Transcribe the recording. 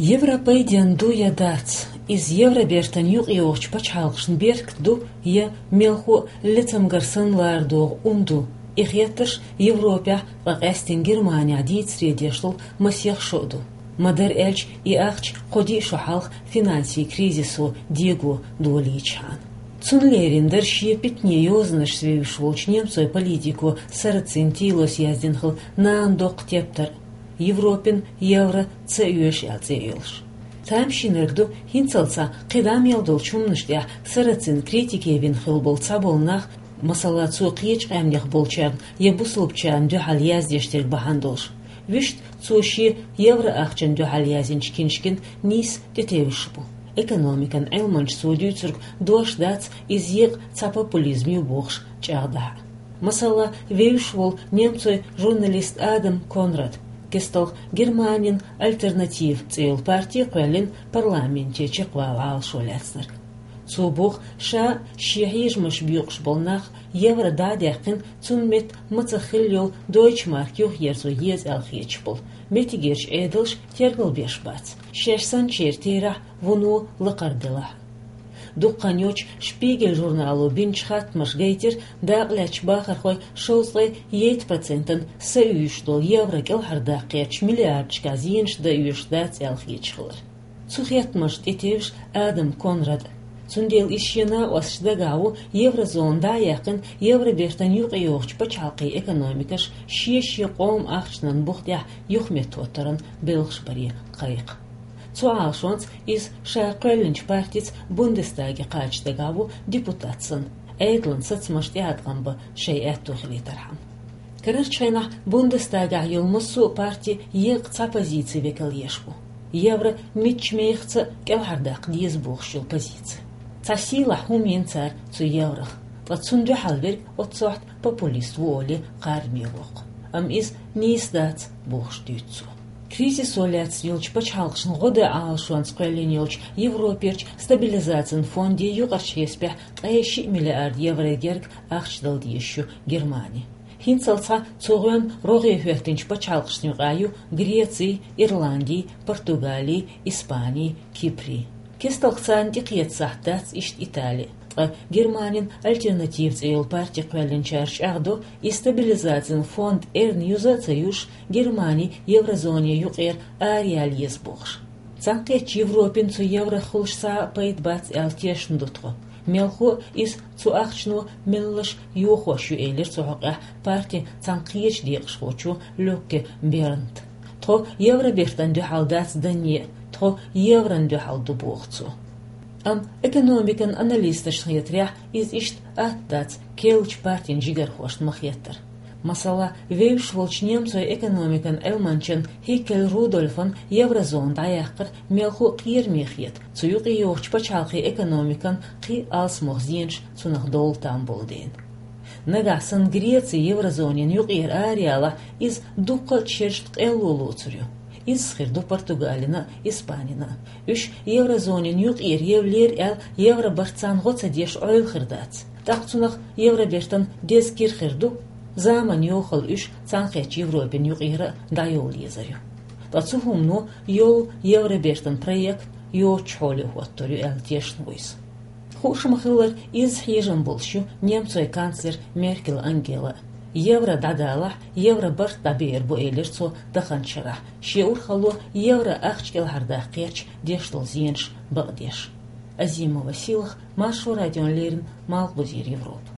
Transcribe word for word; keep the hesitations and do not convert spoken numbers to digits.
Европа пайденна ду я дац, иза Евробертан юкъайогӀучу пачхьалкхашна беркат ду я мелхо а лецамгар санна ларадогӀу ун ду? И хеттарш Европехь, ткъа къаьстина Германехь дийцаре деш долу масех шо а ду. Ма-дарра аьлча, и ахча кхо-диъ шо хьалха финансийн кризисо дего долийчхьана. Цунна лерина дара шен питане йозанашца вевзаш волчу немцойн политико Сарацин Тилос яздина хилла «Нана доккха тептар», Европин евро ца оьшу аьлла цӀе а йолуш. Тамашийнарг ду, хӀинццалц кхин дӀа мел долчу хӀуманаш тӀехь Сарацин критике вина хилла болу цхьаболу нах, масала, цо кхечу къаьмнех болчарна я бусалбачарна дуьхьал яздеш дерг бахьана долуш. Вуьшта цо шен евро ахчанна дуьхьал яздинчу киншкина нийса тӀетевжаш бу. Экономикан Ӏилманчо цо дуьйцург дош дац, иза екъа цхьа популизм ю бохуш чӀагӀдахь а. Масала, вевзаш волу немцойн журналист Адам Конрад, кесталгӀа Германин «Альтернатива» цӀе йолу парти кхоьллина парламенте чекхвала Ӏалашо лаьцнарг. Цо боху, ша а, шен хьежамаш боькъуш болу нах а евро дӀа а даьккхина, цунна метта мацах хилла йолу дойчмарк юхаерзо еза аьлла хеташ болу меттигерчу Ӏедалша тергалбеш бац, шаьш санначеран терахь вуно лакхара делахь а. Дукха хан йоццуш «Шпигель» журнало бинчу хаттамаша гайтира, дакъалаьцначу бахархойн шовзткъе итт процентана са оьшуш долу евро кӀелхьардаккха гӀертачу миллиардашкахь зенаш дан оьшуш дац аьлла хеташ хилар. Цу хеттамашна тӀетевжаш Адам Конрад. Цундела иза шен накъосташна дагахь ву еврозона дӀа а яьккхина, Евробертан юкъайогӀучу пачхьалкхийн экономикаш шен-шен къоман ахчанан бух тӀехь юхаметтахӀоттаран белхаш баре кхайкха. Цу Ӏалашонца иза ша кхоьллинчу партица Бундестаге кхача дагахь ву депутат санна, Ӏедалан сацамаш тӀеӀаткъам бан шайн аьтто хилийтархьама. Карарчу хенахь Бундестагехь йолу массо а парти екъа цхьа позици векал еш бу. Евро мичча мехаца а кӀелхьардаккха деза бохуш йолу позици. Цхьа сийлахь хӀума йина цара цу еврох, ткъа цунна дуьхьал верг оццохь популист ву олий кхараме воккху. Амма иза нийса дац бохуш дуьйцу цо. Кризисо лаьцна йолчу пачхьалкхашна гӀо дан Ӏалашонца кхоьллина йолчу Европерчу стабилизацин фонде юкъарчу хьесапехь ткъе шиъ миллиард евро герга ахча дала дезаш ю Германи. ХӀинццалц цу гӀоьнна рогӀе хӀоьттинчу пачхьалкхашна юкъахь ю Греци, Ирланди, Португали, Испани, Кипри. КесталгӀа царна тӀекхетта сахьт дац иштта Итали. Ткъа Германин «Альтернатива» цӀе йолу парти кхоьллинчара чӀагӀдо, и стабилизацин фонд эрна юза а ца юьсуш, Германи еврозоне юкъера араяла еза бохуш. Цхьаьнакхеттачу Европина цу еврох хуьлуш цхьа а пайда бац аьлла тешна ду тхо. Мелхо а иза цу ахчано меллаша йохош ю, элира цу хьокъехь партин цхьана кхечу декъашхочо Люкке Бернта. Тхо Евробертана дуьхьал дац данне а, тхо еврона дуьхьал ду, боху цо. Амма экономикан аналисташна хетарехь, иза иштта атта дац керлачу партин жигархошна ма-хеттара. Масала, вевзаш волчу немцойн экономикан Ӏилманчан Хиккель Рудольфан еврозона дӀаяккхар мелхо а кхераме хета, цу юкъайогӀучу пачхьалкхийн экономикан кхин а алсамох зенаш цунах довла там болу дела. Нагахь санна Греци еврозонин юкъера араяла, иза дуккха а шерашна къелло лоцур ю. Изза хир ду Португалина а, Испанина а. Уьш еврозонин юкъера евлера аьлла, евробарт царна гӀо ца деш Ӏойла хир дац. ТӀаккха цунах Евробертан деза кира хир ду, заманан йохалла уьш Цхьаьнакхеттачу Европина юкъера а дӀайовла езар ю. Ткъа цу хӀумано йолу Евробертан проект йоцучу хьоле хӀоттор ю аьлла тешна ву иза. Хууш ма-хиллара, изза хьежам болуш ю немцойн канцлер Меркель Ангела. Евро дӀадалахь, евробарт дӀабеар бу, элира цо таханчу шарахь, шен урхалло евро ахча кӀелхьардаккха гӀертачу деш долу зенаш бакъдеш. Азимова Сийлаха, Маршо радиона леррина, Малхбузера Европа.